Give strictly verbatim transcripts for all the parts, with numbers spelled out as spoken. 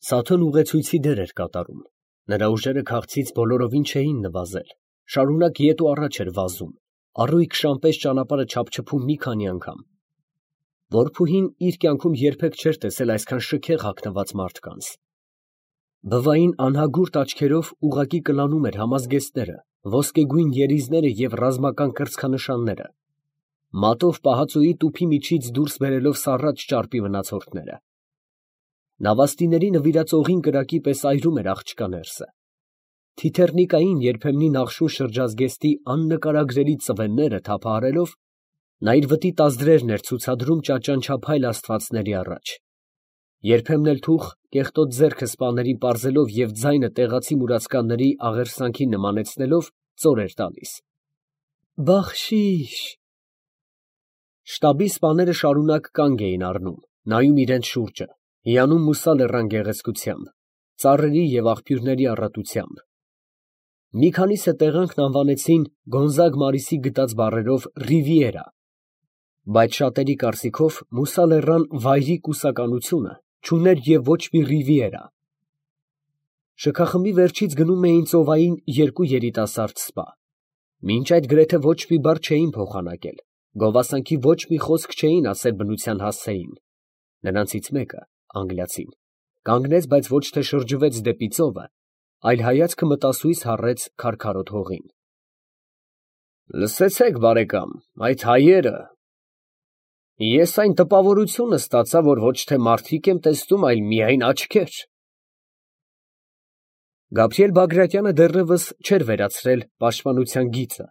Սաթոն ուղեցույցի դեր էր կատարում, նրա ուժերը քաղցից բոլորովին չէին նվազել, շարունակ ետ ու առաջ էր վազում, առույգ շան պես ճանապարհը չափչփում մի քանի անգամ։ Որբուհին իր կյանքում երբեք չէր տեսել այսքան շքեղ հագնված մարդկանց։ Բվային անհագուրդ աչքերով ուղղակի կլանում էր համազգեստները, ոսկեգույն երիզները և ռազմական կրծքանշանները, մատով պահածոյի տուփի միջից դուրս բերելով սառած ճարպի մնացորդները։ Նավաստիների նվիրած օղին կրակի պես այրում էր աղջկա ներսը։ Թիթեռնիկային երբեմնի նախշուն շրջազգեստի աննկարագրելի ծվենները թափահարելով, նա իր վտի տազդրերն էր ցուցադրում ճաճանչափայլ աստվածների առաջ։ Երբեմն էլ թուխ կեղտոտ ձեռքը սպաներին պարզելով և ձայնը տեղացի մուրացկանների աղերսանքին նմանեցնելով ծոր էր տալիս. «Բախշիշ»։ Շտաբի սպաները շարունակ կանգ էին առնում, նայում իրենց շուրջը, հիանում Մուսա լեռան գեղեցկությամբ, ծառերի և աղբյուրների առատությամբ։ Մի քանիսը տեղանքն անվանեցին Գոնզագ Մարիսի գտած բառերով Ռիվիերա, բայց շատերի կարծիքով Մուսա լեռան վայրի կուսականությունը չուներ և ոչ մի ռիվիերա։ Շքախմբի վերջից գնում էին ծովային երկու երիտասարդ սպա։ Մինչ այդ գրեթե ոչ մի բառ չէին փոխանակել, գովասանքի ոչ մի խոսք չէին ասել բնության հասցեին։ Նրանցից մեկը, անգլիացին, կանգնեց, բայց ոչ թե շրջվեց դեպի ծովը, այլ հայացքը մտասույզ հառեց քարքարոտ հողին։ Լսեցե՞ք, բարեկամ, այդ հայերը… Ես այն տպավորությունը ստացա, որ ոչ թե մարդիկ եմ տեսնում, այլ միայն աչքեր… Գաբրիել Բագրատյանը դեռևս չէր վերացրել պաշտպանության գիծը,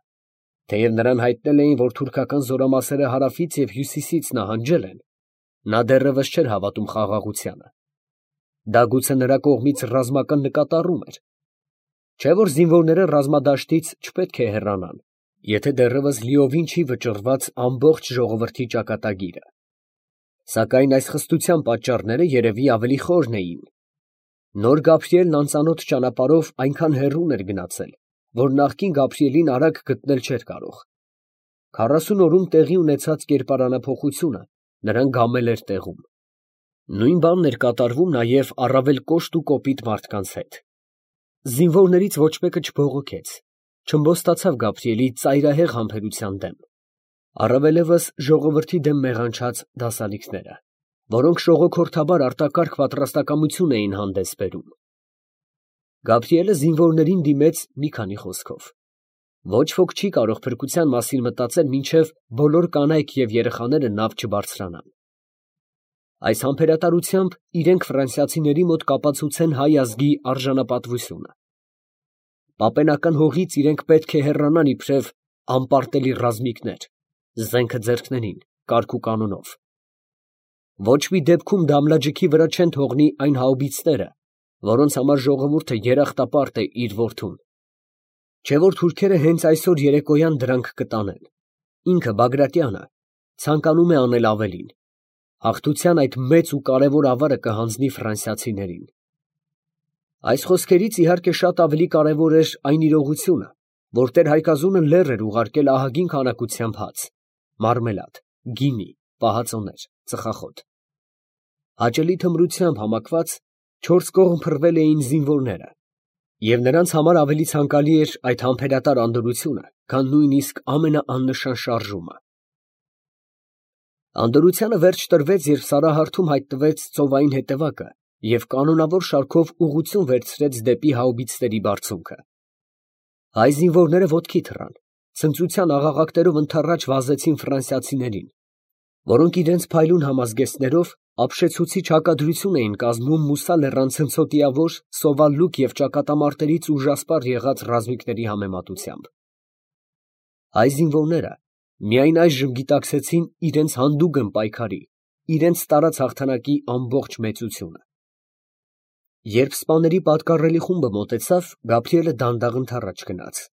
թեև նրան հայտնել էին, որ թուրքական զորամասերը հարավից և հյուսիսից նահանջել են, նա դեռևս չէր հավատում խաղաղությանը։ Դա գուցե նրա կողմից ռազմական նկատառում էր, չէ՞ որ զինվորները ռազմադաշտից չպետք է հեռանան, եթե դեռևս լիովին չի վճռված ամբողջ ժողովրդի ճակատագիրը։ Սակայն այս խստության պատճառները երևի ավելի խորն էին։ Նոր Գաբրիելն անծանոթ ճանապարհով այնքան հեռուն էր գնացել, որ նախկին Գաբրիելին արագ գտնել չէր կարող։ Քառասուն օրում տեղի ունեցած կերպարանափոխությունը նրան գամել էր տեղում։ Նույն բանն էր կատարվում նաև առավել կոշտ ու կոպիտ մարդկանց հետ։ Զինվորներից ոչ մեկը չբողոքեց, չըմբոստացավ Գաբրիելի ծայրահեղ համբերության դեմ, առավելևս ժողովրդի դեմ մեղանչած դասալիքները, որոնք շողոքորթաբար արտակարգ պատրաստակամություն էին հանդես բերում։ Գաբրիելը զինվորներին դիմեց մի քանի խոսքով։ Ոչ ոք չի կարող փրկության մասին մտածել, մինչև բոլոր կանայք և երեխաները նավ չբարձրանան։ Այս համբերատարությամբ իրենք ֆրանսիացիների մոտ կապացուցեն հայ ազգի արժանապատվությունը։ Պապենական հողից իրենք պետք է հեռանան իբրև անպարտելի ռազմիկներ, զենքը ձեռքներին, կարգ ու կանոնով։ Ոչ մի դեպքում դամլաջիքի վրա չեն թողնի այն հաուբիցները, որոնց համար ժողովուրդը երախտապարտ է իր որդուն։ Չէ՞ որ թուրքերը հենց այսօր երեկոյան դրանք կտանեն։ Ինքը Բագրատյանը ցանկանում է անել ավելին. հաղթության այդ մեծ ու կարևոր ավարը կհանձնի ֆրանսիացիներին։ Այս խոսքերից իհարկե շատ ավելի կարևոր էր այն իրողությունը, որ տեր֊Հայկազունը լեռ էր ուղարկել ահագին քանակությամբ հաց, մարմելադ, գինի, պահածոներ, ծխախոտ։ Հաճելի թմրությամբ համակված չորս կողմ փռվել էին զինվորները, և նրանց համար ավելի ցանկալի էր այդ համբերատար անդորրությունը, քան նույնիսկ ամենաաննշան շարժումը։ Անդորրությանը վերջ տրվեց, երբ Սարահարթում հայտնվեց ծովային հետևակը և կանոնավոր շարքով ուղղություն վերցրեց դեպի հաուբիցների բարձունքը։ Հայ զինվորները ոտքի թռան, ցնծության աղաղակներով ընդառաջ վազեցին ֆրանսիացիներին, որոնք իրենց փայլուն համազգեստներով ապշեցուցիչ հակադրություն էին կազմում Մուսա լեռան ցնցոտիավոր, սովալ լուկ և ճակատամարտերից ուժասպառ եղած ռազմիկների համեմատությամբ։ Հայ զինվորները միայն այժմ գիտակցեցին իրենց հանդուգն պայքարի, իրենց տարած հաղթանակի ամբողջ մեծությունը։ Երբ սպաների պատկառելի խումբը մոտեցավ, Գաբրիելը դանդաղ ընդառաջ գնաց։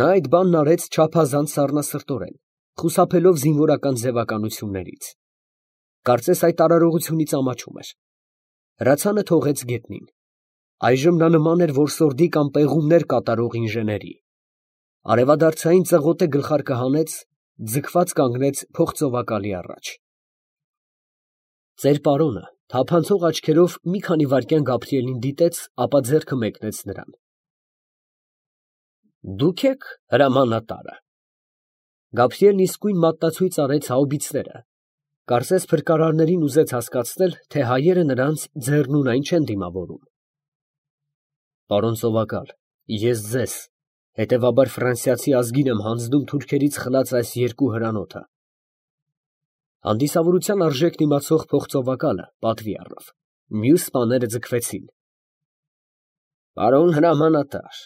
Նա այդ բանն արեց չափազանց սառնասրտորեն, խուսափելով զինվորական ձևականություններից։ Կարծես այդ արարողությունից ամաչում էր։ Հրացանը թողեց գետնին։ Այժմ նա նման էր որսորդի կամ պեղումներ կատարող ինժեների։ Արևադարձային ծղոտե գլխարկը հանեց, ձգված կանգնեց փողծովակալի առաջ։ Ծեր պարոնը, Թափանցող աչքերով մի քանի վայրկյան Գաբրիելին դիտեց, ապա ձեռքը մեկնեց նրան։ Դուք եք հրամանատարը։ Գաբրիելն իսկույն մատնացույց արեց հաուբիցները, կարծես փրկարարներին ուզեց հասկացնել, թե հայերը նրանց ձեռնունայն չեն դիմավորում։ Պարոն սովակալ, ես ձեզ, հետևաբար ֆրանսիացի ազգին եմ հանձնում թուրքերից խլած այս երկու հրանոթը։ Հանդիսավորության արժեքն իմացող փոխծովակալը պատվի առավ։ Մյուս սպաները ձգվեցին։ Պարոն հրամանատար,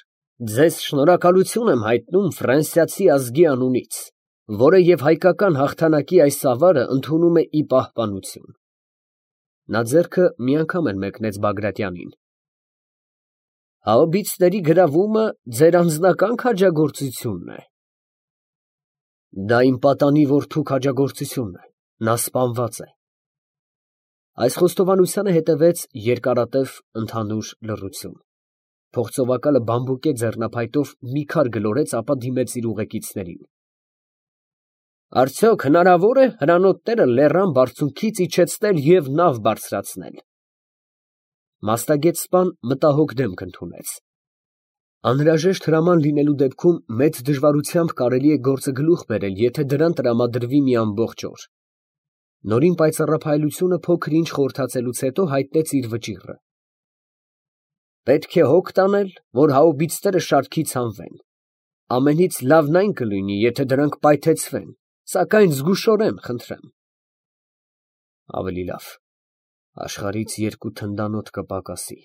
ձեզ շնորհակալություն եմ հայտնում ֆրանսիացի ազգի անունից, որը և հայկական հաղթանակի այս ավարը ընդունում է ի պահպանություն։ Նա ձեռքը մի անգամ էլ մեկնեց Բագրատյանին։ Հաուբիցների գրավումը ձեր անձնական քաջագործությունն է։ Դա իմ պատանի որդու քաջագործությունն է, նա սպանված է։ Այս խոստովանությանը հետևեց երկարատև ընդհանուր լռություն։ Փոխծովակալը բամբուկե ձեռնափայտով մի քար գլորեց, ապա դիմեց իր ուղեկիցներին։ Արդյոք հնարավոր է հրանոթները լեռան բարձունքից իջեցնել և նավ բարձրացնել։ Մասնագետ սպան մտահոգ դեմք ընդունեց։ Անհրաժեշտ հրաման լինելու դեպքում մեծ դժվարությամբ կարելի է գործը գլուխ բերել, եթե դրան տրամադրվի մի ամբողջ օր։ Նորին պայծառափայլությունը փոքր-ինչ խորհրդացելուց հետո հայտնեց իր վճիռը։ Պետք է հոգ տանել, որ հաուբիցները շարքից հանվեն։ Ամենից լավն այն կլինի, եթե դրանք պայթեցվեն, սակայն զգուշորեն, խնդրեմ։ Ավելի լավ, աշխարհից երկու թնդանոթ կպակասի,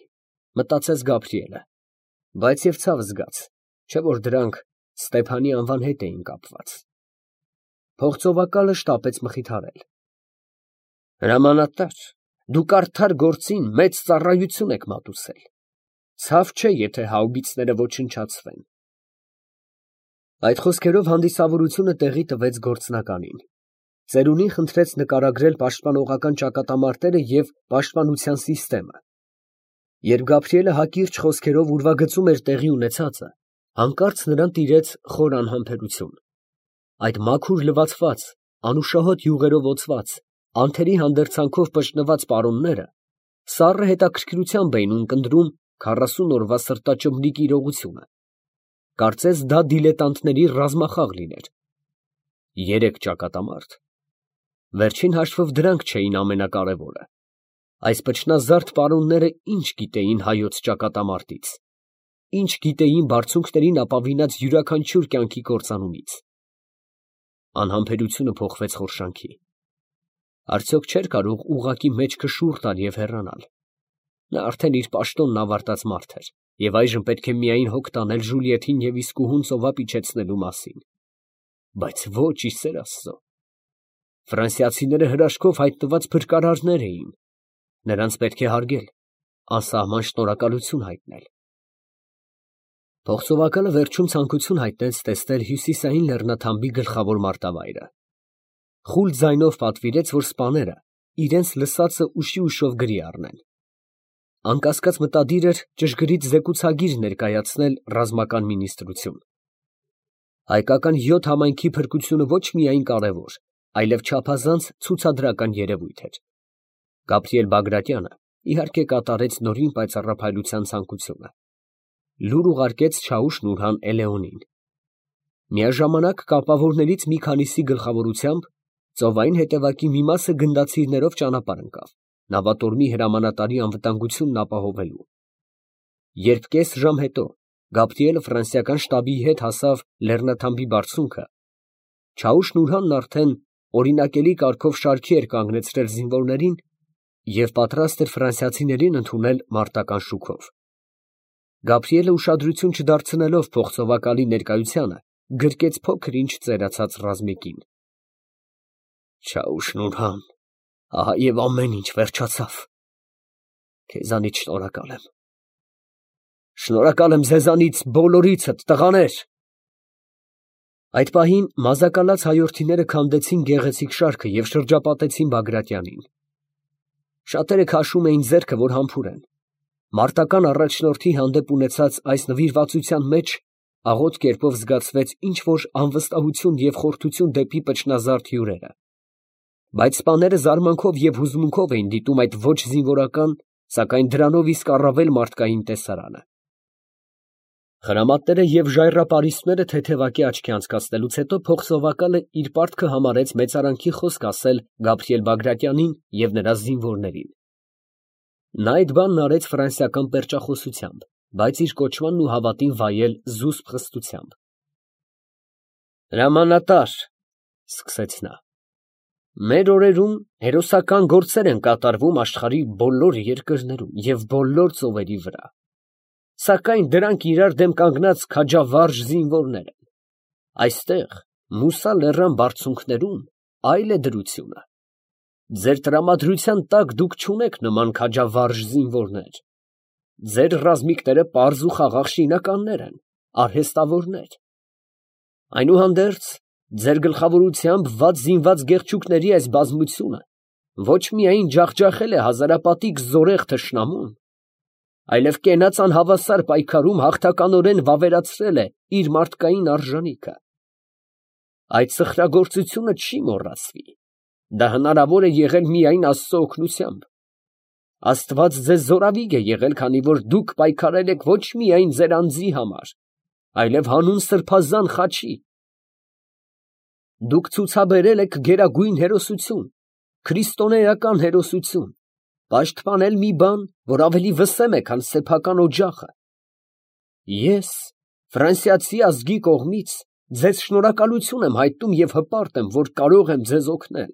մտածեց Գաբրիելը, բայց և ցավ զգաց, չէ որ դրանք Ստեփանի անվան հետ էին կապված։ Փոխծովակալը շտապեց մխիթարել։ Հրամանատար, դուք արդար գործին մեծ ծառայություն եք մատուցել։ Ցավ չէ, եթե հաուբիցները ոչնչացվեն։ Այդ խոսքերով հանդիսավորությունը տեղի տվեց գործնականին։ Ծերունին խնդրեց նկարագրել պաշտպանողական ճակատամարտերը և պաշտպանության սիստեմը։ Երբ Գաբրիելը հակիրճ խոսքերով ուրվագծում էր տեղի ունեցածը, հանկարծ նրան տիրեց խոր անհամբերություն։ Այդ մաքուր լվացված, անուշահոտ յուղերով օծված, անթերի հանդերձանքով պշտնված պարոնները սառը հետաքրքրությամբ էին ունկնդրում քառասուն օրվա սրտաճմլիկ իրողությունը։ Կարծես դա դիլետանտների ռազմախաղ լիներ։ Երեք ճակատամարտ։ Վերջին հաշվով դրանք չէին ամենակարևորը։ Այս փչնազարդ պարոնները ինչ գիտեին հայոց ճակատամարտից, ինչ գիտեին բարձունքներին ապավինած յուրաքանչյուր կյանքի կործանումից։ Անհամբերությունը փոխվեց խորշանքի։ Արդյոք չէր կարող ուղղակի մեջքը շուռ տալ և հեռանալ։ Նա արդեն իր պաշտոնն ավարտած մարդ էր, և այժմ պետք է միայն հոգ տանել Ժուլիեթին և իսկուհուն ծովափ իջեցնելու մասին։ Բայց ոչ, ի սեր Աստծո։ Ֆրանսիացիները հրաշքով հայտնված փրկարարներ էին։ Նրանց պետք է հարգել, անսահման շնորհակալություն հայտնել։ Փոխծովակալը վերջում ցանկություն հայտնեց տեսնել հյուսիսային լեռնաթամբի գլխավոր մարտավայրը։ Խուլ ձայնով պատվիրեց, որ սպաները իրենց լսածը ուշի ուշով գրի առնեն։ Անկասկած մտադիր էր ճշգրիտ զեկուցագիր ներկայացնել ռազմական մինիստրություն։ Հայկական յոթ համայնքի փրկությունը ոչ միայն կարևոր, այլև չափազանց ցուցադրական երևույթ էր։ Գաբրիել Բագրատյանը իհարկե կատարեց նորին պայծառափայլության ցանկությունը։ Լուր ուղարկեց Չաուշ-Նուրհան Էլեոնին։ Միաժամանակ կապավորներից մի քանիսի գլխավորությամբ ծովային հետևակի մի մասը գնդացիրներով ճանապարհ ընկավ, նավատորմի հրամանատարի անվտանգությունն ապահովելու։ Երբ կես ժամ հետո Գաբրիելը ֆրանսիական շտաբի հետ հասավ լեռնաթամբի բարձունքը, Չաուշ-Նուրհանն արդեն օրինակելի կարգով շարքի էր կանգնեցրել զինվորներին և պատրաստ էր ֆրանսիացիներին ընդունել մարտական շուքով։ Գաբրիելը ուշադրություն չդարձնելով փոխծովակալի ներկայությանը, գրկեց փոքր-ինչ ծերացած ռազմիկին։ Չաուշ-Նուրհան, ահա և ամեն ինչ վերջացավ։ Քեզանից շնորհակալ եմ։ Շնորհակալ եմ ձեզանից բոլորիցդ, տղաներ։ Այդ պահին մազակալած հայորդիները քանդեցին գեղեցիկ շարքը և շրջապատեցին Բագրատյանին։ Շատերը քաշում էին ձեռքը, որ համբուրեն։ Մարտական առաջնորդի հանդեպ ունեցած այս նվիրվածության մեջ աղոտ կերպով զգացվեց ինչ֊որ անվստահություն և խորթություն դեպի փչնազարդ հյուրերը։ Բայց սպաները զարմանքով և հուզմունքով էին դիտում այդ ոչ զինվորական, սակայն դրանով իսկ առավել մարդկային տեսարանը։ Խրամատները և ժայռապարիսպները թեթևակի աչքի անցկացնելուց հետո փոխսովակալը իր պարտքը համարեց մեծարանքի խոսք ասել Գաբրիել Բագրատյանին և նրա զինվորներին։ Նա այդ բանն արեց ֆրանսիական պերճախոսությամբ, բայց իր կոչմանն ու հավատին վայել զուսպ խստությամբ։ «Հրամանատար, ֊ սկսեց նա, ֊ մեր օրերում հերոսական գործեր են կատարվում աշխարհի բոլոր երկրներում և բոլոր ծովերի վրա, սակայն դրանք իրար դեմ կանգնած քաջավարժ զինվորներ են. այստեղ, Մուսա լեռան բարձունքներում, այլ է դրությունը. ձեր տրամադրության տակ դուք չունեք նման քաջավարժ զինվորներ. ձեր ռազմիկները պարզ ու խաղաղ շինականներ են, արհեստավորներ. այնուհանդերձ, ձեր գլխավորությամբ վատ զինված գեղչուկների այս բազմությունը ոչ միայն ջախջախել է հազարապատիկ զորեղ թշնամուն, այլև կենաց անհավասար պայքարում հաղթականորեն վավերացրել է իր մարդկային արժանիքը։ Այդ սխրագործությունը չի մոռացվի. դա հնարավոր է եղել միայն Աստծո օգնությամբ։ Աստված ձեզ զորավիգ է եղել, քանի որ դուք պայքարել եք ոչ միայն ձեր անձի համար, այլև հանուն սրբազան խաչի։ Դուք ցուցաբերել եք գերագույն հերոսություն, քրիստոնեական հերոսություն, պաշտպանել մի բան, որ ավելի վսեմ է, քան սեփական օջախը։ Ես, ֆրանսիացի ազգի կողմից, ձեզ շնորհակալություն եմ հայտնում և հպարտ եմ, որ կարող եմ ձեզ օգնել։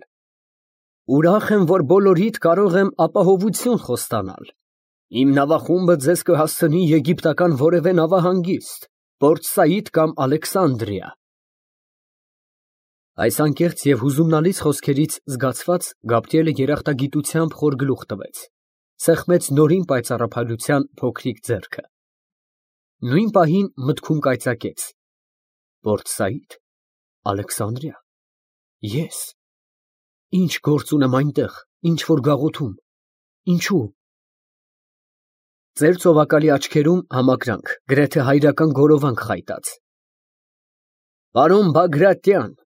Ուրախ եմ, որ բոլորիդ կարող եմ ապահովություն խոստանալ։ Իմ նավախումբը ձեզ կհասցնի եգիպտական որևէ նավահանգիստ, Պորտ Սաիդ կամ Ալեքսանդրիա։ Այս անկեղծ և հուզումնալից խոսքերից զգացված Գաբրիելը երախտագիտությամբ խոր գլուխ տվեց, սեղմեց նորին պայծառափայլության փոքրիկ ձեռքը։ Նույն պահին մտքում կայծակեց. Պորտ Սաիդ, Ալեքսանդրիա, ես, ինչ գործ ունեմ այնտեղ, ինչ որ գաղութում, ինչու։ Ծեր ծովակալի աչքերում համակրանք, գրեթե հայրական գորովանք խայտած։ Պարոն Բագրատյան,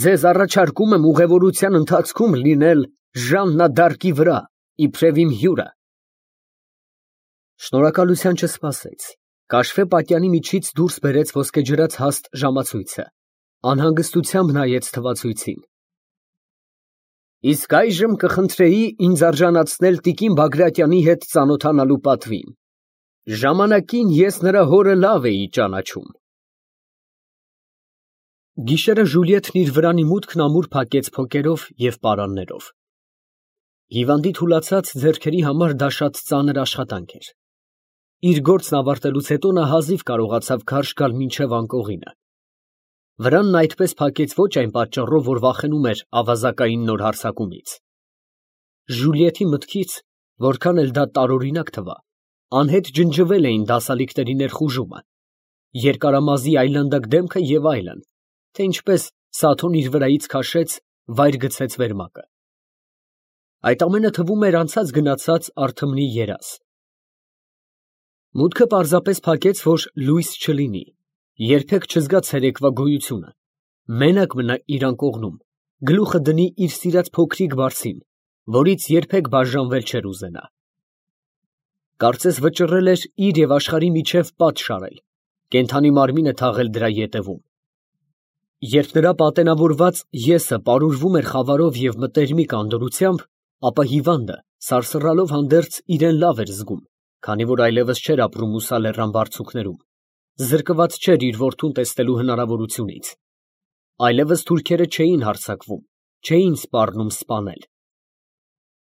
ձեզ առաջարկում եմ ուղևորության ընթացքում լինել Ժաննա դ'Արկի վրա, իբրև իմ հյուրը։ Շնորհակալության չսպասեց, կաշվե պատյանի միջից դուրս բերեց ոսկեջրած հաստ ժամացույցը, անհանգստությամբ նայեց թվացույցին։ Իսկ այժմ կխնդրեի ինձ արժանացնել տիկին Բագրատյանի հետ ծանոթանալու պատվին. ժամանակին ես նրա հորը լավ էի ճանաչում։ Գիշերը Ժուլիետն իր վրանի մուտքն ամուր փակեց փոկերով և պարաններով։ Հիվանդի թուլացած ձեռքերի համար դա շատ ծանր աշխատանք էր։ Իր գործն ավարտելուց հետո նա հազիվ կարողացավ քարշ գալ մինչև անկողինը։ Վրանն այդպես փակեց ոչ այն պատճառով, որ վախենում էր ավազակային նոր հարձակումից։ Ժուլիետի մտքից, որքան էլ դա տարօրինակ թվա, անհետ ջնջվել էին դասալիկների ներխուժումը, երկարամազի այլանդակ դեմքը և այլն, թե ինչպես Սաթոն իր վրայից քաշեց, վայր գցեց վերմակը։ Այդ ամենը թվում էր անցած գնացած Արթմնի երազ։ Մուտքը պարզապես փակեց, որ լույս չլինի, երբեք չզգա ցերեկվա գոյությունը, մենակ մնա իր անկողնում, գլուխը դնի իր սիրած փոքրիկ բարձին, որից երբեք բաժանվել չէր ուզենա։ Կարծես վճռել էր իր և աշխարհի միջև պատ շարել, կենդանի մարմինը թաղել դրա ետևում։ Երբ նրա պատենավորված եսը պարուրվում էր խավարով և մտերմիկ անդորրությամբ, ապա հիվանդը, սարսռալով հանդերձ իրեն լավ էր զգում, քանի որ այլևս չէր ապրում Մուսա լեռան բարձունքներում, զրկված չէր իր որդուն տեսնելու հնարավորությունից։ Այլևս թուրքերը չէին հարձակվում, չէին սպառնում սպանել։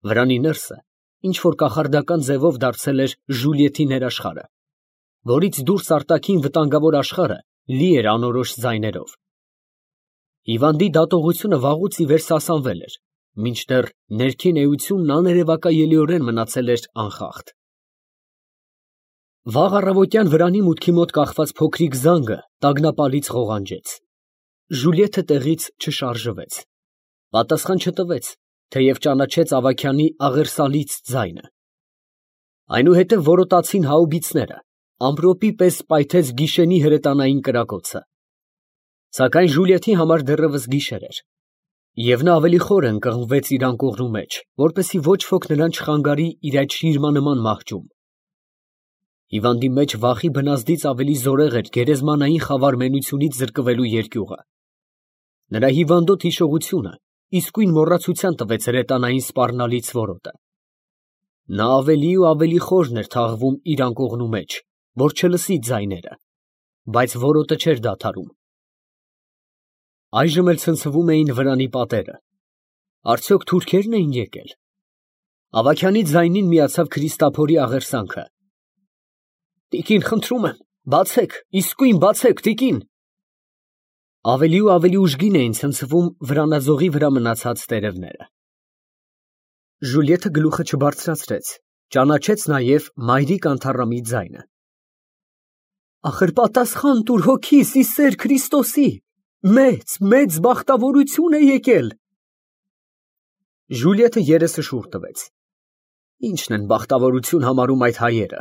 Վրանի ներսը ինչ որ կախարդական ձևով դարձել էր Ժուլիետի ներաշխարհը, որից դուրս արտաքին վտանգավոր աշխարհը լի էր անորոշ ձայներով։ Հիվանդի դատողությունը վաղուց ի վեր սասանվել էր, մինչդեռ ներքին էությունն աներևակայելիորեն մնացել էր անխախտ։ Վաղ առավոտյան վրանի մուտքի մոտ կախված փոքրիկ զանգը տագնապալից ղողանջեց։ Ժուլիետը տեղից չշարժվեց, պատասխան չտվեց, թեև ճանաչեց Ավագյանի աղերսալից ձայնը։ Այնուհետև որոտացին հաուբիցները, ամպրոպի պես պայթեց գիշենի հրետանային կրակոցը։ Սակայն Ժուլիետի համար դեռևս գիշեր էր։ Եվ նա ավելի խոր ընկղմվեց իր անկողնու մեջ, որպեսզի ոչ ոք նրան չխանգարի իր այդ շիրմանման մահճում։ Հիվանդի մեջ վախի բնազդից ավելի զորեղ էր գերեզմանային խավարմենությունից զրկվելու երկյուղը։ Նրա հիվանդոտ հիշողությունը իսկույն մոռացության տվեց հրետանային սպառնալից որոտը։ Նա ավելի ու ավելի խորն էր թաղվում իր անկողնու մեջ, որ չլսի ձայները, բայց որոտը չէր դադարում։ Այժմ էլ ցնցվում էին վրանի պատերը։ Արդյոք թուրքերն էին եկել։ Ավագյանի ձայնին միացավ Քրիստափորի աղերսանքը։ Տիկին, խնդրում եմ, բացեք, իսկույն բացեք, տիկին։ Ավելի ու ավելի ուժգին էին ցնցվում վրանաձողի վրա մնացած տերևները։ Ժուլիետը գլուխը չբարձրացրեց, ճանաչեց նաև մայրիկ Անթառամի ձայնը։ Ախր պատասխան տուր հոգիս ի սեր Քրիստոսի, մեծ, մեծ բախտավորություն է եկել։ Ժուլիետը երեսը շուռ տվեց։ Ինչն են բախտավորություն համարում այդ հայերը։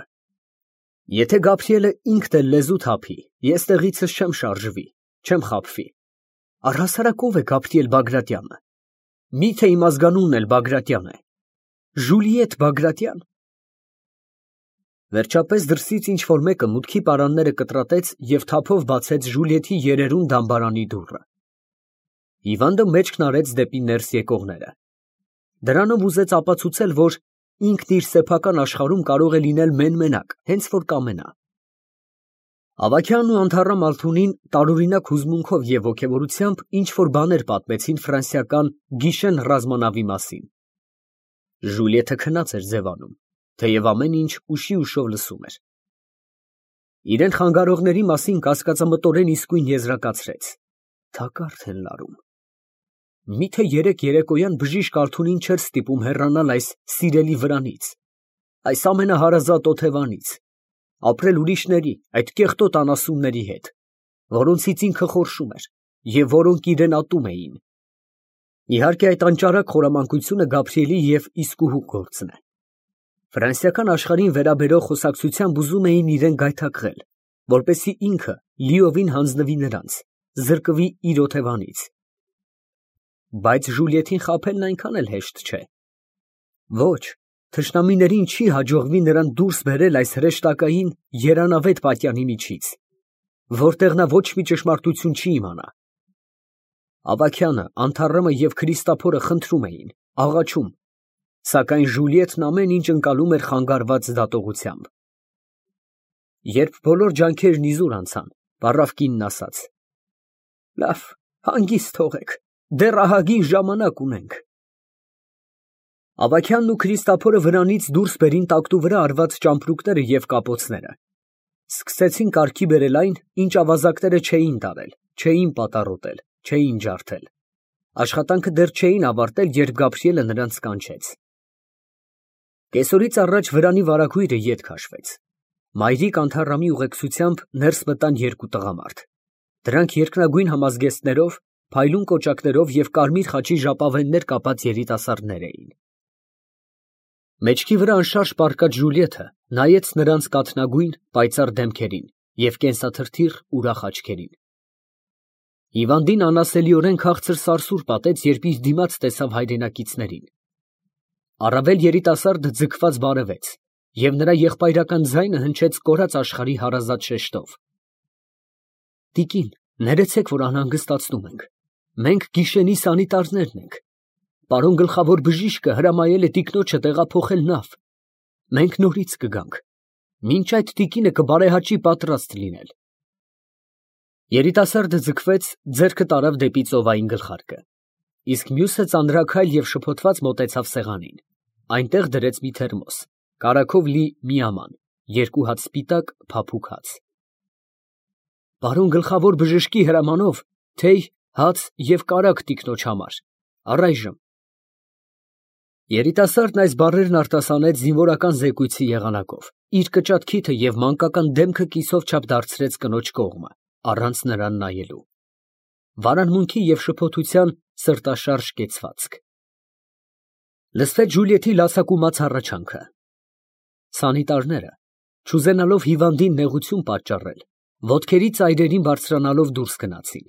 Եթե Գաբրիելը ինքն էլ լեզու թափի, ես տեղիցս չեմ շարժվի, չեմ խաբվի։ Առհասարակ ով է Գաբրիել Բագրատյանը։ Միթե իմ ազգանունն էլ Բագրատյան է։ Ժուլիետ Բագրատյան։ Վերջապես դրսից ինչ որ մեկը մուտքի պարանները կտրատեց և թափով բացեց Ժուլիետի երերուն դամբարանի դուռը։ Հիվանդը մեջքն արեց դեպի ներս եկողները։ Դրանով ուզեց ապացուցել, որ ինքն իր սեփական աշխարհում կարող է լինել մեն֊մենակ, հենց որ կամենա։ Ավագյանն ու Անթառամ Ալթունին տարօրինակ հուզմունքով և ոգևորությամբ ինչ որ բաներ պատմեցին ֆրանսիական գիշեն ռազմանավի մասին։ Ժուլիետը քնած էր ձևանում, թեև ամեն ինչ ուշի ուշով լսում էր։ Իրեն խանգարողների մասին կասկածամտորեն իսկույն եզրակացրեց. Թակարդ են լարում։ Միթե երեկ երեկոյան բժիշկ Ալթունին չէր ստիպում հեռանալ այս սիրելի վրանից, այս ամենահարազատ օթևանից, ապրել ուրիշների, այդ կեղտոտ անասունների հետ, որոնցից ինքը խորշում էր և որոնք իրեն ատում էին։ Իհարկե այդ անճարակ խորամանկությունը Գաբրիելի և իսկուհու գործն է։ Ֆրանսիական աշխարհին վերաբերող խոսակցությամբ ուզում էին իրեն գայթակղել, որպեսզի ինքը լիովին հանձնվի նրանց, զրկվի իր օթևանից։ Բայց Ժուլիետին խաբելն այնքան էլ հեշտ չէ։ Ոչ, թշնամիներին չի հաջողվի նրան դուրս բերել այս հրեշտակային երանավետ պատյանի միջից, որտեղ նա ոչ մի ճշմարտություն չի իմանա։ Ավագյանը, Անթառամը և Քրիստափորը խնդրում էին, աղաչում, սակայն Ժուլիետն ամեն ինչ ընկալում էր խանգարված դատողությամբ։ Երբ բոլոր ջանքերն իզուր անցան, վառավ կինն ասաց. Լավ, հանգիստ թողեք, դեռ ահագին ժամանակ ունենք։ Ավագյանն ու Քրիստափորը վրանից դուրս բերին տակտու վրա արված ճամպրուկները և կապոցները։ Սկսեցին կարգի բերել այն, ինչ ավազակները չէին տարել, չէին պատառոտել, չէին ջարդել։ Աշխատանքը դեռ չէին ավարտել, երբ Գաբրիելը նրանց կանչեց։ Կեսօրից առաջ վրանի վարագույրը ետ քաշվեց։ Մայրիկ Անթառամի ուղեկցությամբ ներս մտան երկու տղամարդ։ Դրանք երկնագույն համազգեստներով, փայլուն կոճակներով և կարմիր խաչի ժապավեններ կապած երիտասարդներ էին։ Մեջքի վրա անշարժ պառկած Ժուլիետը նայեց նրանց կաթնագույն, պայծառ դեմքերին և կենսաթրթիռ ուրախ աչքերին։ Հիվանդին անասելիորեն քաղցր սարսուռ պատեց, երբ իր դիմաց տեսավ հայրենակիցներին։ Առավել երիտասարդը ձգված բարևեց, և նրա եղբայրական ձայնը հնչեց կորած աշխարհի հարազատ շեշտով։ Տիկին, ներեցեք, որ անհանգստացնում ենք։ Մենք գիշենի սանիտարներն ենք։ Պարոն գլխավոր բժիշկը հրամայել է տիկնոջը տեղափոխել նավ։ Մենք նորից կգանք։ Մինչ այդ տիկինը կբարեհաճի պատրաստ լինել։ Երիտասարդը ձգվեց, ձեռքը տարավ դեպի ծովային գլխարկը, իսկ մյուսը ծանրաքայլ և շփոթված մոտեցավ սեղանին։ Այնտեղ դրեց մի թերմոս, կարագով լի մի աման, երկու հատ սպիտակ փափուկ հաց։ Պարոն գլխավոր բժշկի հրամանով թեյ, հաց և կարագ տիկնոջ համար, առայժմ։ Երիտասարդն այս բառերն արտասանեց զինվորական զեկույցի եղանակով, իր կճատ քիթը և մանկական դեմքը կիսով չափ դարձրեց կնոջ կողմը, առանց նրան նայելու։ Վարանմունքի և շփոթության սրտաշարժ կեցվածք։ Լսվեց Ժուլիետի լացակումած հառաչանքը։ Սանիտարները, չուզենալով հիվանդին նեղություն պատճառել, ոտքերի ծայրերին բարձրանալով դուրս գնացին։